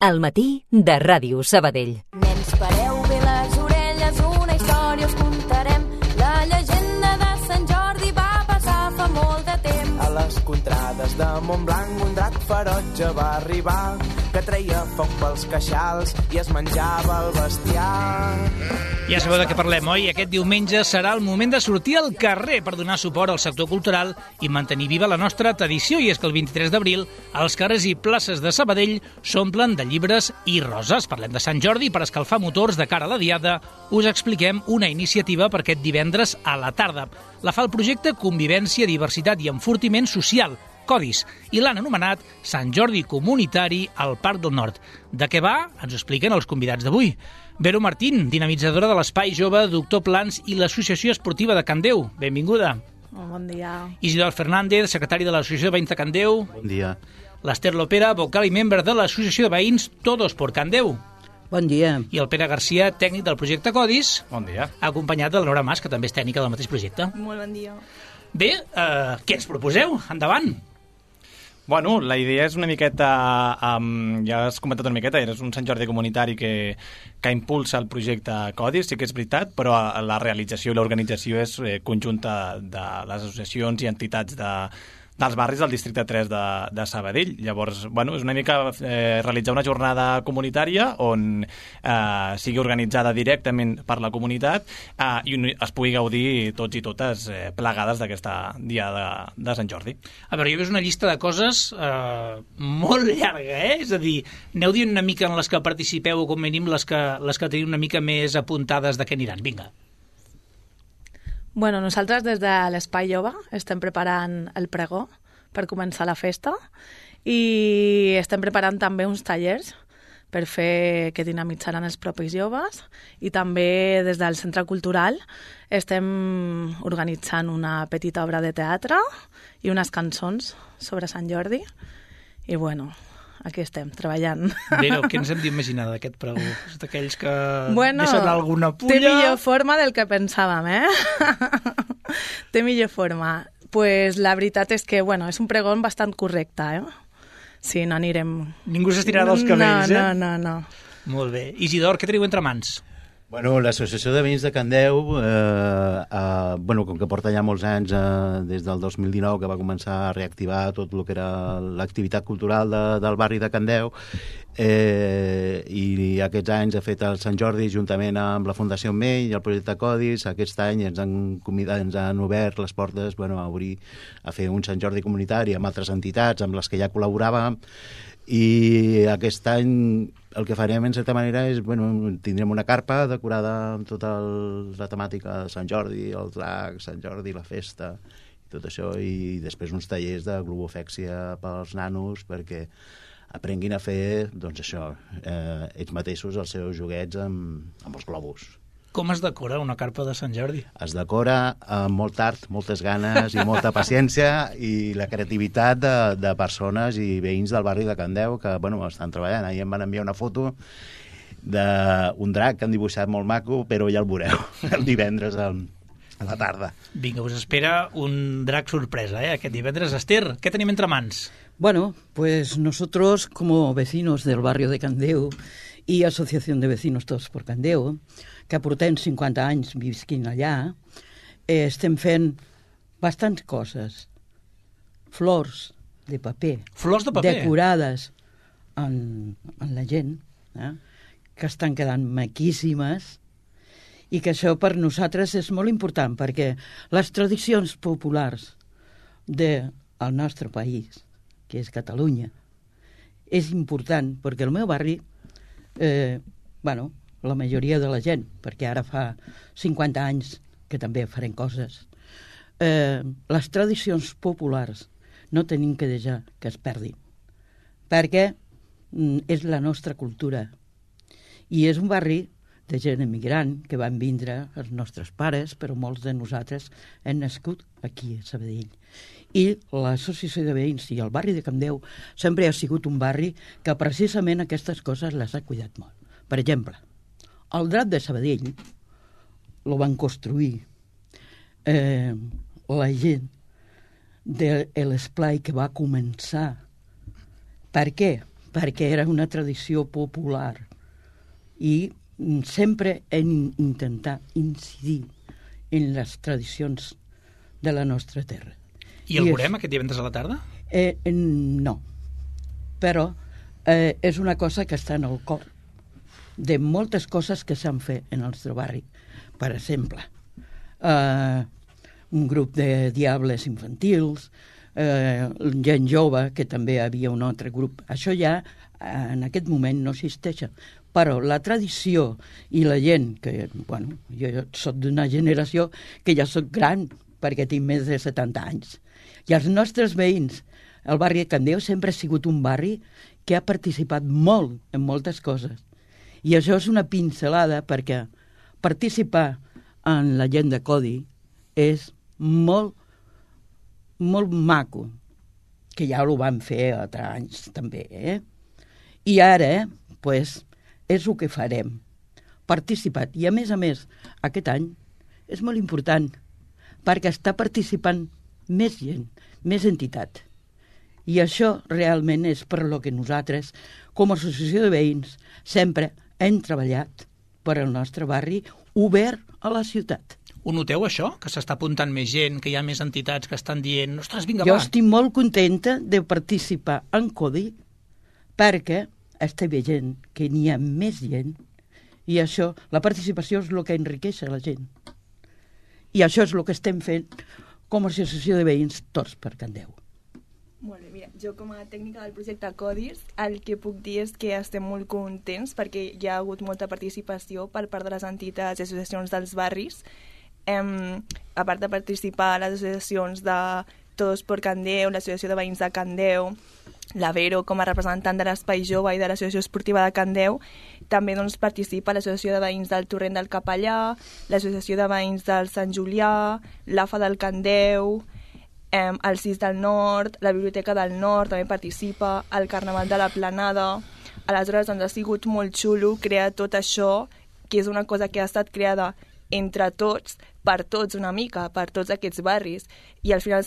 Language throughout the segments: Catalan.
Al matí de Ràdio Sabadell. Nens, pareu bé les orelles, una història us contarem. La llegenda de Sant Jordi va passar fa molt de temps. A les contrades de Montblanc un drac ferotge va arribar, que treia foc pels queixals i es menjava el bestiar. Ja sabeu de què parlem, oi? Aquest diumenge serà el moment de sortir al carrer per donar suport al sector cultural i mantenir viva la nostra tradició. I és que el 23 d'abril els carrers i places de Sabadell s'omplen de llibres i roses. Parlem de Sant Jordi per escalfar motors de cara a la diada. Us expliquem una iniciativa per aquest divendres a la tarda. La fa el projecte Convivència, Diversitat i Enfortiment Social, Codis, i l'han anomenat Sant Jordi Comunitari al Parc del Nord. De què va? Ens ho expliquen els convidats d'avui. Vero Martín, dinamitzadora de l'Espai Jove, Doctor Plans i l'Associació Esportiva de Candeu. Benvinguda. Bon dia. Isidor Fernández, secretari de l'Associació de Veïns de Candeu. Bon dia. L'Ester Lopera, vocal i membre de l'Associació de Veïns Todos por Candeu. Bon dia. I el Pere Garcia, tècnic del projecte Codis. Bon dia. Acompanyat de la Nora Mas, que també és tècnica del mateix projecte. Molt bon dia. Bé, què ens proposeu? Endavant. Bueno, la idea és una miqueta, ja has comentat una miqueta, és un Sant Jordi comunitari que impulsa el projecte Codis, sí que és veritat, però la realització i l'organització és conjunta de les associacions i entitats dels barris del districte 3 de Sabadell. Llavors, bueno, és una mica realitzar una jornada comunitària on sigui organitzada directament per la comunitat i es pugui gaudir tots i totes plegades d'aquesta dia de Sant Jordi. A veure, jo veus una llista de coses molt llarga, És a dir, aneu dient una mica en les que participeu o com mínim les que teniu una mica més apuntades de què aniran. Vinga. Bueno, nosaltres des de l'Espai Jove estem preparant el pregó per començar la festa i estem preparant també uns tallers per fer que dinamitzaran els propis joves i també des del Centre Cultural estem organitzant una petita obra de teatre i unes cançons sobre Sant Jordi i bueno, aquí estem, treballant. Però què ens hem d'imaginar d'aquest pregó? És d'aquells que bueno, deixen alguna pulla... Té millor forma del que pensàvem, Té millor forma. Pues la veritat és que, bueno, és un pregó bastant correcte, Sí, no anirem... Ningú s'estirarà dels cabells, No. Molt bé. Isidor, què teniu entre mans? Bueno, l'Associació de Veïns de Candeu, com que porta ja molts anys, des del 2019, que va començar a reactivar tot el que era l'activitat cultural del barri de Candeu, i aquests anys ha fet el Sant Jordi juntament amb la Fundació Mell i el projecte Codis. Aquest any ens han obert les portes a fer un Sant Jordi comunitari amb altres entitats amb les que ja col·laboràvem. I aquest any el que farem en certa manera és, tindrem una carpa decorada amb tota la temàtica de Sant Jordi, el drac, Sant Jordi, la festa i tot això, i després uns tallers de globofèxia pels nanos perquè aprenguin a fer, ells mateixos els seus joguets amb els globus. Com es decora una carpa de Sant Jordi? Es decora amb molt art, moltes ganes i molta paciència i la creativitat de persones i veïns del barri de Candeu que, estan treballant. Ahir em van enviar una foto d'un drac que han dibuixat molt maco, però ja el veureu el divendres a la tarda. Vinga, us espera un drac sorpresa, aquest divendres. Esther, què tenim entre mans? Bueno, pues nosotros como vecinos del barrio de Candeu y Asociación de Vecinos Todos por Candeu, que portem 50 anys visquint allà, estem fent bastants coses. Flors de paper. Flors de paper? Decorades en la gent, que estan quedant maquíssimes, i que això per nosaltres és molt important, perquè les tradicions populars del nostre país, que és Catalunya, és important, perquè el meu barri, la majoria de la gent, perquè ara fa 50 anys que també farem coses, les tradicions populars no tenim que deixar que es perdin, perquè és la nostra cultura. I és un barri de gent emigrant que van vindre els nostres pares, però molts de nosaltres hem nascut aquí a Sabadell. I l'Associació de Veïns i el barri de Candeu sempre ha sigut un barri que precisament aquestes coses les ha cuidat molt. Per exemple, el drac de Sabadell el van construir la gent de l'esplai que va començar. Per què? perquè era una tradició popular i sempre hem intentat incidir en les tradicions de la nostra terra. I el veurem aquest divendres a la tarda? No, però és una cosa que està en el cor de moltes coses que s'han fet en el nostre barri. Per exemple, un grup de diables infantils, gent jove, que també hi havia un altre grup. Això ja en aquest moment no existeix, però la tradició i la gent, que, bueno, jo soc d'una generació que ja soc gran, perquè tinc més de 70 anys, i els nostres veïns, el barri de Candeu sempre ha sigut un barri que ha participat molt en moltes coses. I això és una pincelada, perquè participar en la gent de Codi és molt, molt maco, que ja ho van fer altres anys també, I ara, pues, és el que farem, participat. I a més, aquest any és molt important, perquè està participant més gent, més entitat. I això realment és per lo que nosaltres, com a associació de veïns, sempre hem treballat per al nostre barri obert a la ciutat. Ho noteu, això? Que s'està apuntant més gent, que hi ha més entitats que estan dient ostres, vinga, jo va. Estic molt contenta de participar en Codi perquè estic veient que n'hi ha més gent i això, la participació és el que enriqueix la gent. I això és el que estem fent com a associació de veïns tots per Candeu. Molt bé, mira, jo com a tècnica del projecte Codis, el que puc dir és que estem molt contents perquè hi ha hagut molta participació per part de les entitats i associacions dels barris. A part de participar a les associacions de Todos por Candeu, l'associació de veïns de Candeu, la Vero com a representant de l'Espai Jove i de l'Associació Esportiva de Candeu, també doncs, participa l'Associació de Veïns del Torrent del Capellà, l'Associació de Veïns del Sant Julià, l'AFA del Candeu, el CIS del Nord, la Biblioteca del Nord també participa, el Carnaval de la Planada. Aleshores doncs, ha sigut molt xulo crear tot això, que és una cosa que ha estat creada entre tots, per tots una mica, per tots aquests barris. I al final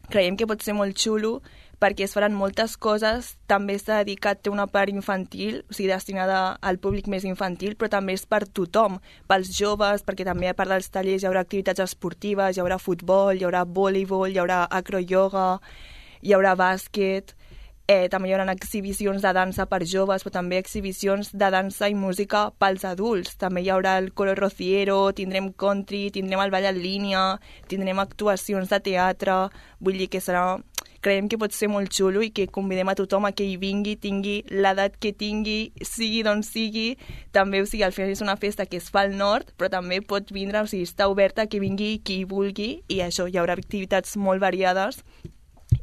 creiem que pot ser molt xulo perquè es faran moltes coses, també està dedicat, té una part infantil, o sigui, destinada al públic més infantil, però també és per tothom, pels joves, perquè també a part dels tallers hi haurà activitats esportives, hi haurà futbol, hi haurà voleibol, hi haurà acroyoga, hi haurà bàsquet, també hi haurà exhibicions de dansa per joves, però també exhibicions de dansa i música pels adults. També hi haurà el coro rociero, tindrem country, tindrem el ball en línia, tindrem actuacions de teatre, vull dir que creiem que pot ser molt xulo i que convidem a tothom a que hi vingui, tingui l'edat que tingui, sigui d'on sigui, també, o sigui, al final és una festa que es fa al nord, però també pot vindre, o sigui, està oberta que vingui qui vulgui, i això, hi haurà activitats molt variades,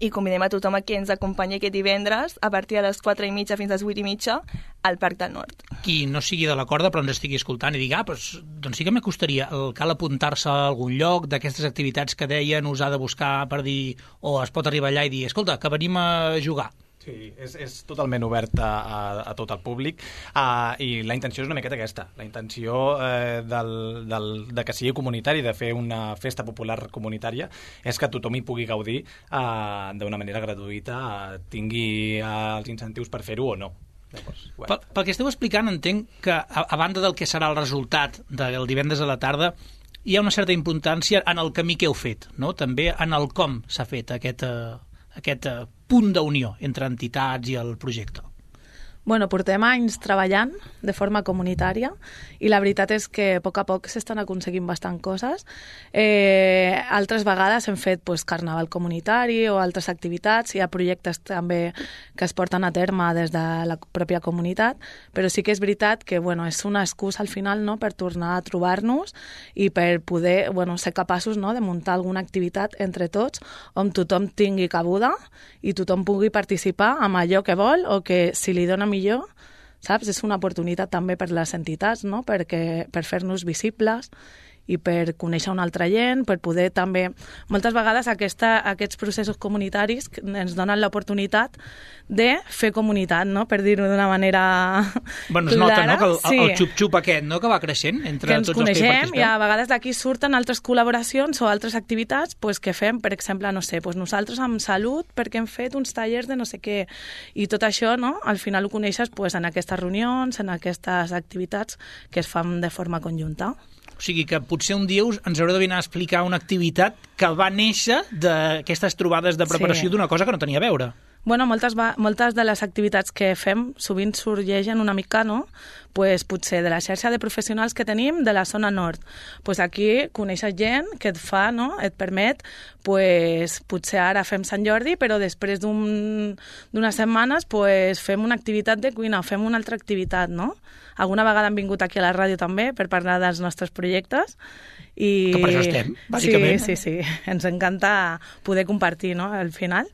i convidem a tothom a que ens acompanyi aquest divendres a partir de les 4:30 fins a les 8:30 al Parc del Nord. Qui no sigui de la corda però ens estigui escoltant i digui, doncs sí que m'acostaria, cal apuntar-se a algun lloc d'aquestes activitats que deien, us ha de buscar per dir, o es pot arribar allà i dir, escolta, que venim a jugar. Sí, és totalment obert a tot el públic i la intenció és una miqueta aquesta. La intenció de que sigui comunitari, de fer una festa popular comunitària, és que tothom hi pugui gaudir d'una manera gratuïta, tingui els incentius per fer-ho o no. Pel que esteu explicant, entenc que a banda del que serà el resultat del divendres a la tarda, hi ha una certa importància en el camí que heu fet, no? També en el com s'ha fet aquest punt d'unió entre entitats i el projecte. Bueno, portem anys treballant de forma comunitària i la veritat és que a poc s'estan aconseguint bastant coses. Altres vegades hem fet carnaval comunitari o altres activitats, hi ha projectes també que es porten a terme des de la pròpia comunitat, però sí que és veritat que és una excusa al final, no?, per tornar a trobar-nos i per poder ser capaços, no?, de muntar alguna activitat entre tots on tothom tingui cabuda i tothom pugui participar amb allò que vol o que si li dona millor, saps? És una oportunitat també per les entitats, no?, per fer-nos visibles i per conèixer una altra gent, per poder també... Moltes vegades aquests processos comunitaris ens donen l'oportunitat de fer comunitat, no? Per dir-ho d'una manera bueno, es clara. nota, no?, que el xup-xup aquest, no?, que va creixent entre que ens tots els que hi coneixem participem. i a vegades d'aquí surten altres col·laboracions o altres activitats pues, que fem, per exemple, no sé, pues nosaltres amb salut perquè hem fet uns tallers de no sé què i tot això, no?, al final ho coneixes pues, en aquestes reunions, en aquestes activitats que es fan de forma conjunta. O sigui que potser un dia ens haureu de venir a explicar una activitat que va néixer d'aquestes trobades de preparació d'una cosa que no tenia a veure. Bueno, moltes de les activitats que fem sovint sorgeixen una mica, no? Pues, potser de la xarxa de professionals que tenim de la zona nord. Pues aquí coneixes gent que et fa, no? Et permet, pues, potser ara fem Sant Jordi, però després d'unes setmanes pues, fem una activitat de cuina, fem una altra activitat, no? Alguna vegada han vingut aquí a la ràdio també per parlar dels nostres projectes. I... Que per això estem, bàsicament. Sí. Ens encanta poder compartir, no?, al final.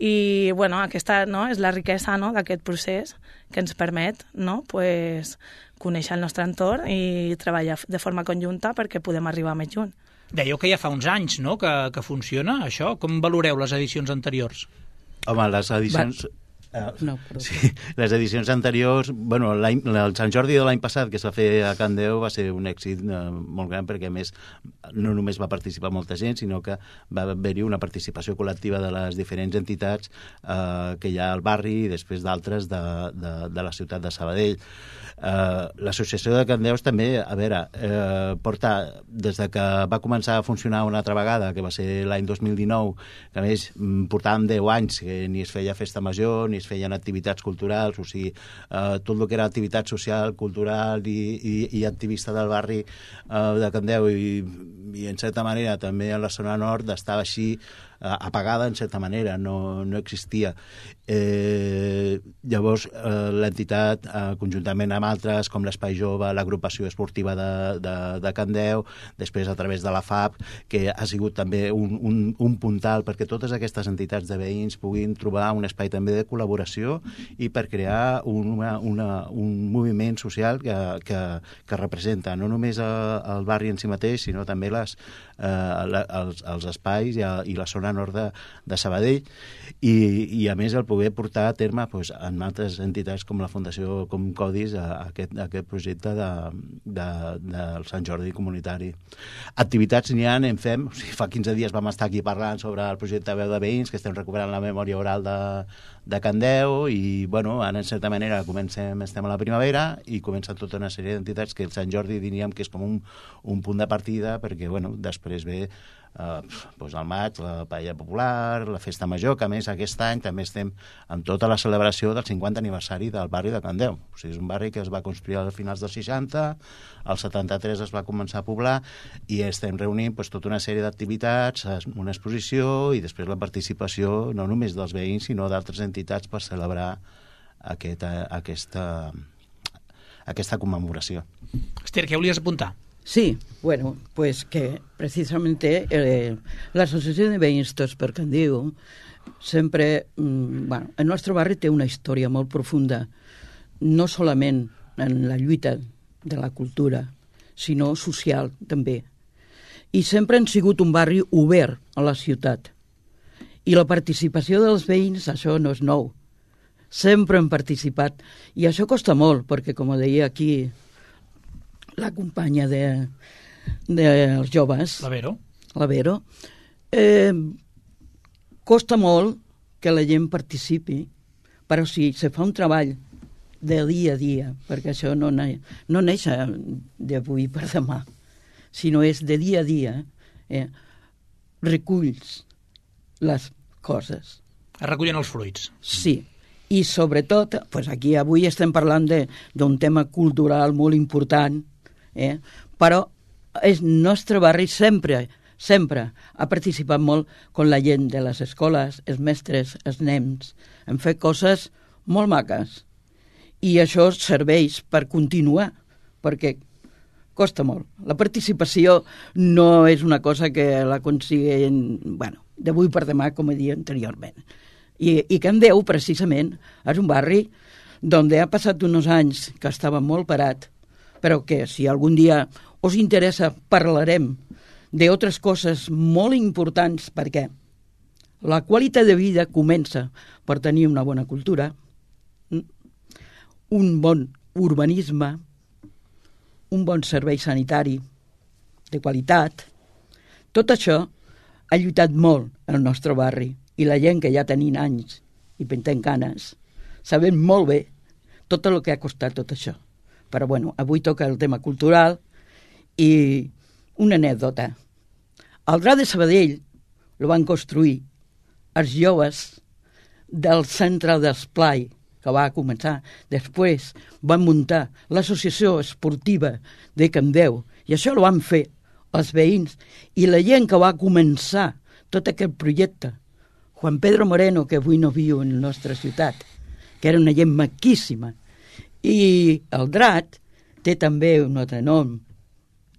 I, bueno, aquesta, no?, és la riquesa, no?, d'aquest procés que ens permet, no?, pues, conèixer el nostre entorn i treballar de forma conjunta perquè podem arribar més lluny. Dèieu que ja fa uns anys, no?, que funciona això. Com valoreu les edicions anteriors? Home, les edicions... No, sí, les edicions anteriors, bueno, el Sant Jordi de l'any passat que es va fer a Can Déu va ser un èxit molt gran perquè a més no només va participar molta gent sinó que va haver-hi una participació col·lectiva de les diferents entitats que hi ha al barri i després d'altres de la ciutat de Sabadell. L'associació de Can Déus també, a veure, porta des de que va començar a funcionar una altra vegada, que va ser l'any 2019, que a més portàvem 10 anys que ni es feia festa major ni es feien activitats culturals, o sigui, tot el que era activitat social, cultural i activista del barri de Can Déu i en certa manera també a la zona nord estava així apagada en certa manera, no existia. Llavors l'entitat, conjuntament amb altres com l'Espai Jove, l'agrupació esportiva de Can Déu, després a través de la FAP, que ha sigut també un puntal perquè totes aquestes entitats de veïns puguin trobar un espai també de col·laboració i per crear un moviment social que representa no només el barri en si mateix, sinó també els espais i la zona nord de Sabadell i a més el poder portar a terme doncs, en altres entitats com la Fundació com Codis aquest projecte del Sant Jordi comunitari. Activitats n'hi ha, en fem, o sigui, fa 15 dies vam estar aquí parlant sobre el projecte Veu de Veïns, que estem recuperant la memòria oral de Can Déu i bueno, ara en certa manera estem a la primavera i comencen tota una sèrie d'entitats que el Sant Jordi diríem que és com un punt de partida perquè bueno, després ve doncs al maig, la paella popular, la festa major, que a més aquest any també estem amb tota la celebració del 50 aniversari del barri de Can Déu. O sigui, és un barri que es va construir a finals dels 60, al 73 es va començar a poblar i estem reunint doncs, tota una sèrie d'activitats, una exposició i després la participació no només dels veïns sinó d'altres entitats per celebrar aquesta commemoració. Esther, què volies apuntar? Sí, bueno, pues que precisamente la Asociación de Veïns Tots per Can Déu sempre, bueno, el nostre barri té una història molt profunda, no solament en la lluita de la cultura, sinó social també. I sempre han sigut un barri obert a la ciutat. I la participació dels veïns, això no és nou. Sempre han participat. I això costa molt, perquè, com deia aquí la companya dels joves, la Vero, costa molt que la gent participi, però si se fa un treball de dia a dia, perquè això no neix d'avui per demà, sinó és de dia a dia, reculls les coses. Es recullen els fruits. Sí, i sobretot, pues aquí avui estem parlant d'un tema cultural molt important, però el nostre barri sempre ha participat molt amb la gent de les escoles, els mestres, els nens. Hem fet coses molt maques i això serveix per continuar, perquè costa molt. La participació no és una cosa que l'aconseguim, bueno, d'avui per demà, com he dit anteriorment. I Can Déu, precisament, és un barri on ha passat uns anys que estava molt parat, però que si algun dia us interessa parlarem d'altres coses molt importants, perquè la qualitat de vida comença per tenir una bona cultura, un bon urbanisme, un bon servei sanitari de qualitat. Tot això ha lluitat molt el nostre barri, i la gent que ja tenim anys i pentem canes sabem molt bé tot el que ha costat tot això. Però bueno, avui toca el tema cultural i una anècdota. El Drac de Sabadell el van construir els joves del centre d'esplai que va començar. Després van muntar l'associació esportiva de Candeu i això ho van fer els veïns i la gent que va començar tot aquest projecte. Juan Pedro Moreno, que avui no viu en la nostra ciutat, que era una gent maquíssima. I el Drac té també un altre nom,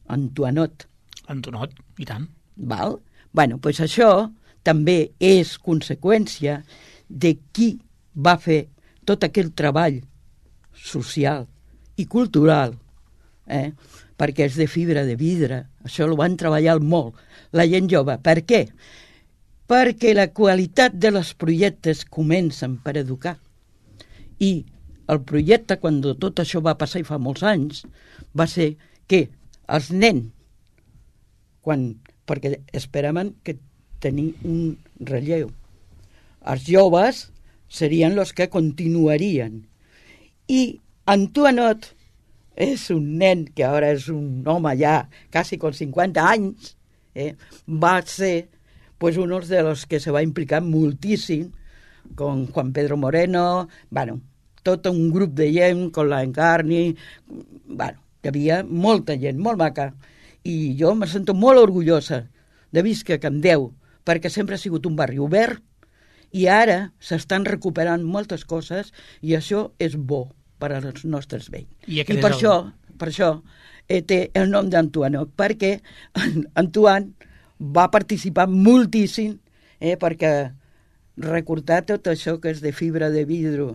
Antoinot. Antonot, i tant. Val? Bueno, doncs això també és conseqüència de qui va fer tot aquell treball social i cultural, perquè és de fibra de vidre. Això ho van treballar molt, la gent jove. Per què? Perquè la qualitat dels projectes comencen per educar. I el projecte, quan tot això va passar i fa molts anys, va ser que els nens, perquè esperaven que tenir un relleu, els joves serien els que continuarien. I Antoinot és un nen que ara és un home ja quasi con 50 anys, va ser uno de los que se va implicar moltíssim con Juan Pedro Moreno, tot un grup de gent, con la Encarni, hi havia molta gent, molt maca, i jo me sento molt orgullosa de viscar a Candeu, perquè sempre ha sigut un barri obert, i ara s'estan recuperant moltes coses, i això és bo per als nostres veïns. I per això té el nom d'Antoinot, perquè Antoine va participar moltíssim perquè recordar tot això que és de fibra de vidre.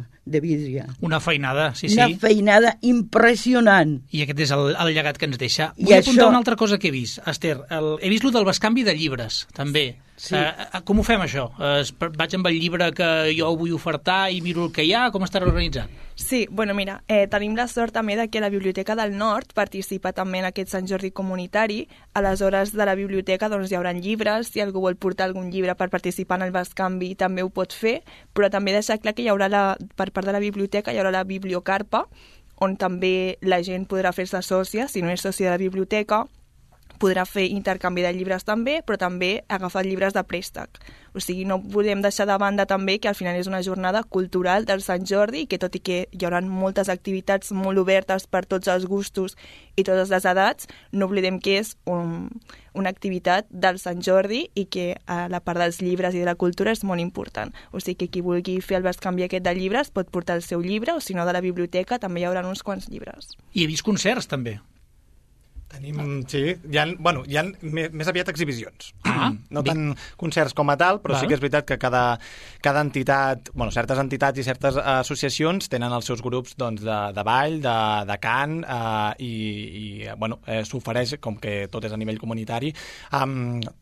Una feinada, sí. Una feinada impressionant. I aquest és el llegat que ens deixa. Vull apuntar una altra cosa que he vist, Esther. He vist lo del bescanvi de llibres, també. Sí. Com ho fem, això? Vaig amb el llibre que jo vull ofertar i miro el que hi ha? Com estarà organitzat? Sí, mira, tenim la sort també que la Biblioteca del Nord participa també en aquest Sant Jordi comunitari. A les hores de la biblioteca hi haurà llibres, si algú vol portar algun llibre per participar en el bescanvi també ho pot fer, però també deixar clar que hi haurà, per part de la biblioteca, hi haurà la bibliocarpa, on també la gent podrà fer-se sòcia, si no és sòcia de la biblioteca, podrà fer intercanvi de llibres també, però també agafar llibres de préstec. O sigui, no podem deixar de banda també que al final és una jornada cultural del Sant Jordi i que tot i que hi haurà moltes activitats molt obertes per tots els gustos i totes les edats, no oblidem que és una activitat del Sant Jordi i que la part dels llibres i de la cultura és molt important. O sigui que qui vulgui fer el bescanvi aquest de llibres pot portar el seu llibre o si no de la biblioteca també hi haurà uns quants llibres. I he vist concerts també. Sí, hi ha més aviat exhibicions. No tant concerts com a tal, però sí que és veritat que cada entitat, certes entitats i certes associacions tenen els seus grups de ball, de cant, i s'ofereix, com que tot és a nivell comunitari,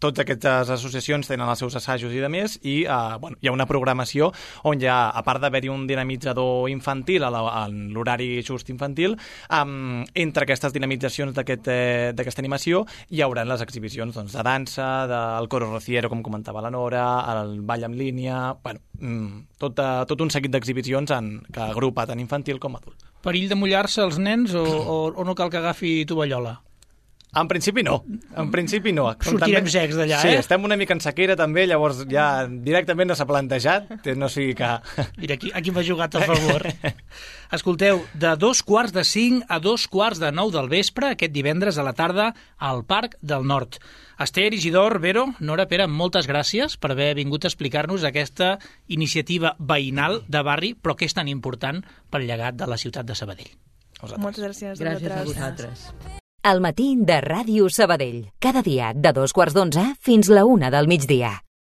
totes aquestes associacions tenen els seus assajos i de més, i hi ha una programació on hi ha, a part d'haver-hi un dinamitzador infantil en l'horari just infantil, entre aquestes dinamitzacions d'aquesta animació hi haurà les exhibicions de dansa, del coro rociero, com comentava la Nora, el ball en línia, tot un seguit d'exhibicions que agrupa tant infantil com adult. Perill de mullar-se els nens o no cal que agafi tovallola? En principi no. Sortirem secs d'allà, Sí, estem una mica en sequera també, llavors ja directament no s'ha plantejat, no sigui que... Mira, aquí m'ha jugat a favor. Escolteu, de 4:45 a 8:45 del vespre, aquest divendres a la tarda, al Parc del Nord. Esther, Isidor, Vero, Nora, Pere, moltes gràcies per haver vingut a explicar-nos aquesta iniciativa veïnal de barri, però que és tan important pel llegat de la ciutat de Sabadell. Moltes gràcies a vosaltres. Gràcies a vosaltres. El matí de Ràdio Sabadell. Cada dia de 2:15 fins la 1 del migdia.